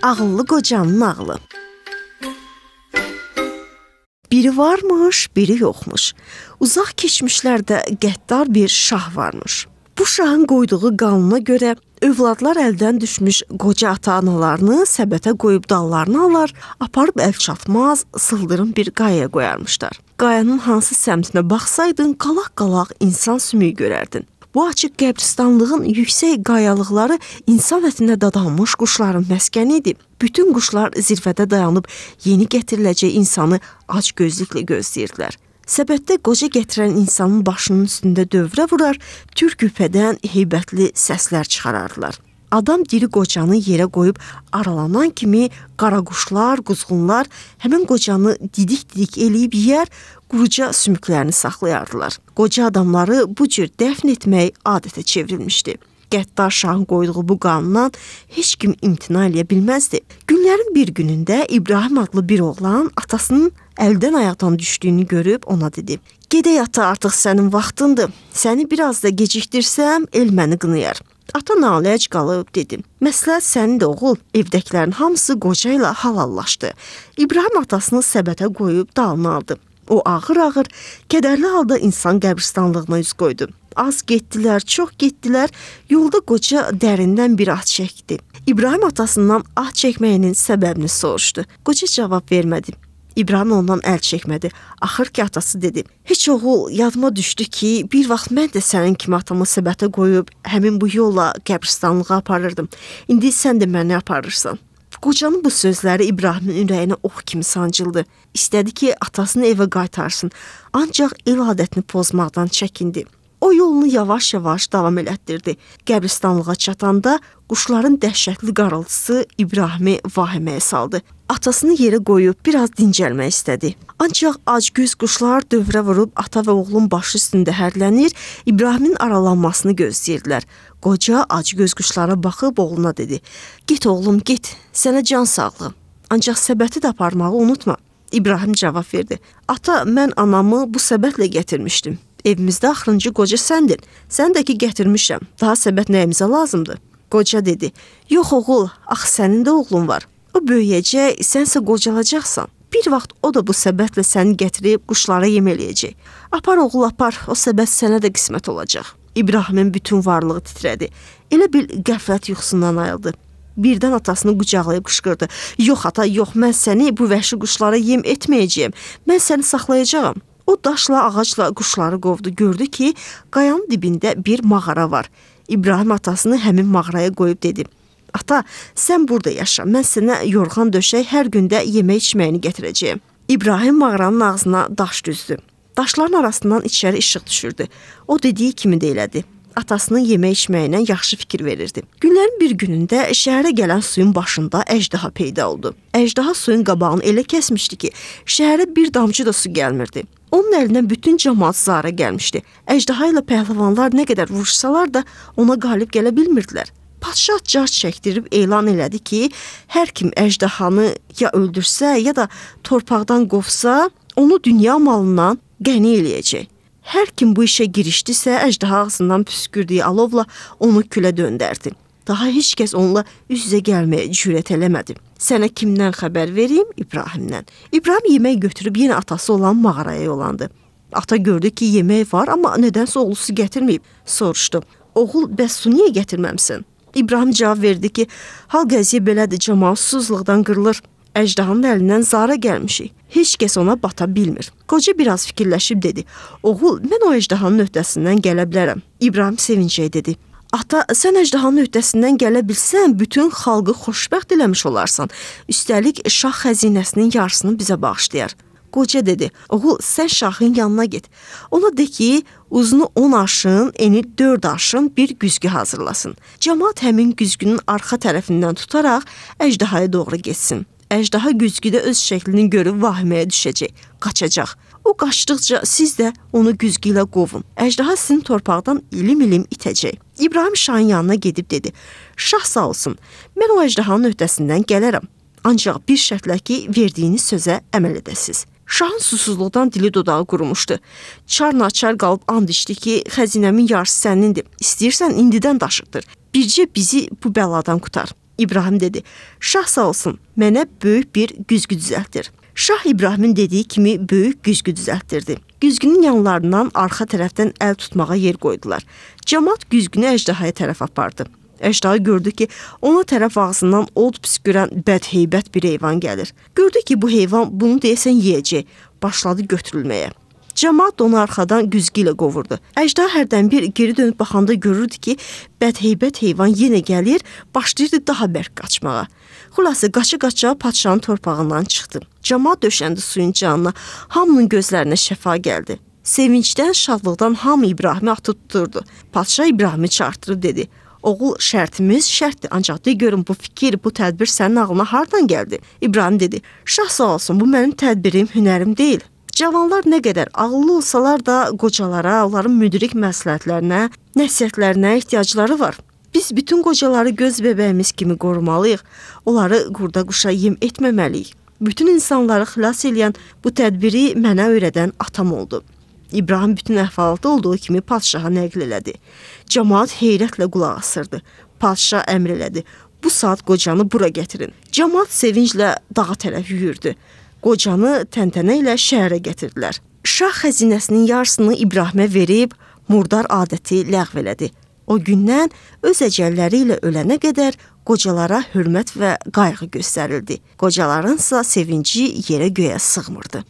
Ağıllı qocanın ağlı. Biri varmış, biri yoxmuş. Uzaq keçmişlərdə qəddar bir şah varmış. Bu şahın qoyduğu qanuna görə övladlar əldən düşmüş qoca ata-analarını səbətə qoyub dallarını alar, aparıb əl çatmaz, sıldırım bir qayaya qoyarmışlar. Qayanın hansı səmtinə baxsaydın, qalaq-qalaq insan sümüyü görərdin. Bu açıq qəbristanlığın yüksək qayalıqları insan ətinə dadanmış quşların məskəni idi. Bütün quşlar zirvədə dayanıb yeni gətiriləcək insanı acgözlüklə gözləyirdilər. Səbətdə qoca gətirən insanın başının üstündə dövrə vurar, türküpədən heybətli səslər çıxarardılar. Adam diri qocanı yerə qoyub aralanan kimi qaraquşlar, quzğunlar həmin qocanı didik-didik eləyib yeyər, quruca sümüklərini saxlayardılar. Qoca adamları bu cür dəfn etmək adətə çevrilmişdi. Qəddar şahın qoyduğu bu qanundan heç kim imtina eləyə bilməzdi. Günlərin bir günündə İbrahim adlı bir oğlan atasının əldən ayaqdan düşdüyünü görüb ona dedi: "Gedək ata, artıq sənin vaxtındır. Səni biraz da gecikdirsəm, el məni qınayar." Ata naləc qalıb dedi: "Məsləhət sənindir oğul." Evdəkilərin hamısı qoca ilə halallaşdı. İbrahim atasını səbətə qoyub dalını aldı. O ağır-ağır, kədərli halda insan qəbristanlığına üz qoydu. Az getdilər, çox getdilər. Yolda qoca dərindən bir ah çəkdi. İbrahim atasından ah çəkməyinin səbəbini soruşdu. Qoca cavab vermədi. İbrahim ondan əl çəkmədi. Axır ki atası dedi: "Heç oğul, yadıma düşdü ki, bir vaxt mən də sənin kimi atamı səbətə qoyub həmin bu yolla qəbristanlığa aparırdım. İndi sən də məni aparırsan." Qocanın bu sözləri İbrahimin ürəyinə ox kimi sancıldı. İstədi ki, atasını evə qaytarsın, ancaq el adətini pozmaqdan çəkindi. O yolunu yavaş-yavaş davam elətdirdi. Qəbristanlığa çatanda quşların dəhşətli qarıltısı İbrahimi vahiməyə saldı. Atasını yerə qoyub biraz dincəlmək istədi. Ancaq acgöz quşlar dövrə vurub ata və oğlun başı üstündə hərlənir, İbrahimin aralanmasını gözləyirdilər. Qoca acgöz quşlara baxıb oğluna dedi: "Git oğlum, git, sənə can sağlığı. Ancaq səbəti də aparmağı unutma." İbrahim cavab verdi: "Ata, mən anamı bu səbətlə gətirmişdim. Evimizdə axırıncı qoca səndin. Sən də ki gətirmişəm. Daha səbət nəyimizə lazımdır?" Qoca dedi: "Yox oğul, axı sənin də oğlun var. O böyüyəcək, sənsə qocalacaqsan. Bir vaxt o da bu səbətlə səni gətirib quşlara yem eləyəcək. Apar oğul, apar, o səbət sənə də qismət olacaq." İbrahimin bütün varlığı titrədi. Elə bil qəflət yuxusundan ayıldı. Birdən atasını qucaqlayıb qışqırdı: "Yox ata, yox, mən səni bu vəhşi quşlara yem etməyəcəyəm. Mən səni saxlayacağam." O daşla, ağacla quşları qovdu. Gördü ki, qayanın dibində bir mağara var. İbrahim atasını həmin mağaraya qoyub dedi: "Ata, sən burada yaşa. Mən sənə yorğan döşək, hər gündə yemək içməyini gətirəcəyəm." İbrahim mağaranın ağzına daş düzdü. Daşların arasından içəri işıq düşürdü. O dediyi kimi də elədi. Atasının yemək içməyinə yaxşı fikir verirdi. Günlərin bir günündə şəhərə gələn suyun başında əjdaha peyda oldu. Əjdaha suyun qabağını elə kəsmişdi ki, şəhərə bir damcı da su gəlmirdi. Onun əlindən bütün cəmaat zara gəlmişdi. Əjdaha ilə pəhləvanlar nə qədər vuruşsalar da ona qalib gələ bilmirdilər. Padşah car çəkdirib elan elədi ki, hər kim əjdahanı ya öldürsə, ya da torpaqdan qovsa, onu dünya malından qəni eləyəcək. Hər kim bu işə girişdisə, əjdaha ağzından püskürdüyü alovla onu külə döndərdi. Daha heç kəs onunla üz-üzə gəlməyə cürət eləmədi. "Sənə kimdən xəbər vereyim?" İbrahimdən. İbrahim yemək götürüb yenə atası olan mağaraya yollandı. Ata gördü ki, yemək var, amma nədənsə oğlu su gətirməyib. Soruşdu: "Oğul, bəs su niyə gətirməmsən?" İbrahim cavab verdi ki, "Hal qəziyə belədir, cəmaat susuzluqdan qırılır. Əjdahanın əlindən zara gəlmişik. Heç kəs ona bata bilmir." Qoca biraz fikirləşib dedi: "Oğul, mən o əjdahanın öhdəsindən gələ bilərəm." İbrahim sevincək dedi: "Ata, sən əjdahanın öhdəsindən gələ bilsən, bütün xalqı xoşbəxt eləmiş olarsan. Üstəlik, şah xəzinəsinin yarısını bizə bağışlayar." Qoca dedi: "Oğul, sən şahın yanına get. Ona de ki, uzunu 10 arşın, eni 4 arşın bir güzgü hazırlasın. Cəmaat həmin güzgünün arxa tərəfindən tutaraq əjdahaya doğru getsin. Əjdaha güzgüdə öz şəklini görüb vahiməyə düşəcək, qaçacaq. O qaçdıqca siz də onu güzgü ilə qovun. Əjdaha sizin torpaqdan ilim-ilim itəcək." İbrahim şahın yanına gedib dedi: "Şah sağ olsun, mən o əjdahanın öhdəsindən gələrəm. Ancaq bir şərtlə ki, verdiyiniz sözə əməl edəsiz." Şahın susuzluqdan dili dodağı qurumuşdu. Çar-naçar qalıb and içdi ki, xəzinəmin yarısı sənindir. İstəyirsən indidən daşıqdır. Bircə bizi bu bəladan qutar. İbrahim dedi: "Şah sağ olsun, mənə böyük bir güzgü düzəltdir." Şah İbrahimin dediyi kimi böyük güzgü düzəltdirdi. Güzgünün yanlarından arxa tərəfdən əl tutmağa yer qoydular. Camaat güzgünü əjdahaya tərəf apardı. Əjdaha gördü ki, ona tərəf ağzından od püskürən bədheybət bir heyvan gəlir. Gördü ki, bu heyvan bunu deyəsən yeyəcək. Başladı götürülməyə. Camaat onu arxadan güzgü ilə qovurdu. Əjdaha hərdən bir geri dönüb baxanda görürdü ki, bədheybət heyvan yenə gəlir, başlayırdı daha bərk qaçmağa. Xülasə qaça-qaça padşahın torpağından çıxdı. Camaat döşəndi suyun canına, hamının gözlərinə şəfa gəldi. Sevincdən, şadlıqdan hamı İbrahimi atıb tuturdu. Padşah İbrahimi çağırtırıb dedi: "Oğul, şərtimiz şərtdir, ancaq de görüm bu fikir, bu tədbir sənin ağlına hardan gəldi?" İbrahim dedi: "Şah sağ olsun, bu mənim tədbirim, hünərim deyil. Cavanlar nə qədər ağıllı olsalar da qocalara, onların müdrik məsləhətlərinə, nəsihətlərinə ehtiyacları var. Biz bütün qocaları göz bəbəyimiz kimi qorumalıyıq, onları qurda quşa yem etməməliyik. Bütün insanları xilas edən bu tədbiri mənə öyrədən atam oldu." İbrahim bütün əhvalatı olduğu kimi padşaha nəql elədi. Camaat heyrətlə qulaq asırdı. Padşah əmr elədi: "Bu saat qocanı bura gətirin." Camaat sevinclə dağa tərəf yüyürdü. Qocanı təntənə ilə şəhərə gətirdilər. Şah xəzinəsinin yarısını İbrahimə verib murdar adəti ləğv elədi. O gündən öz əcəlləri ilə ölənə qədər qocalara hörmət və qayğı göstərildi. Qocalarınsa sevinci yerə göyə sığmırdı.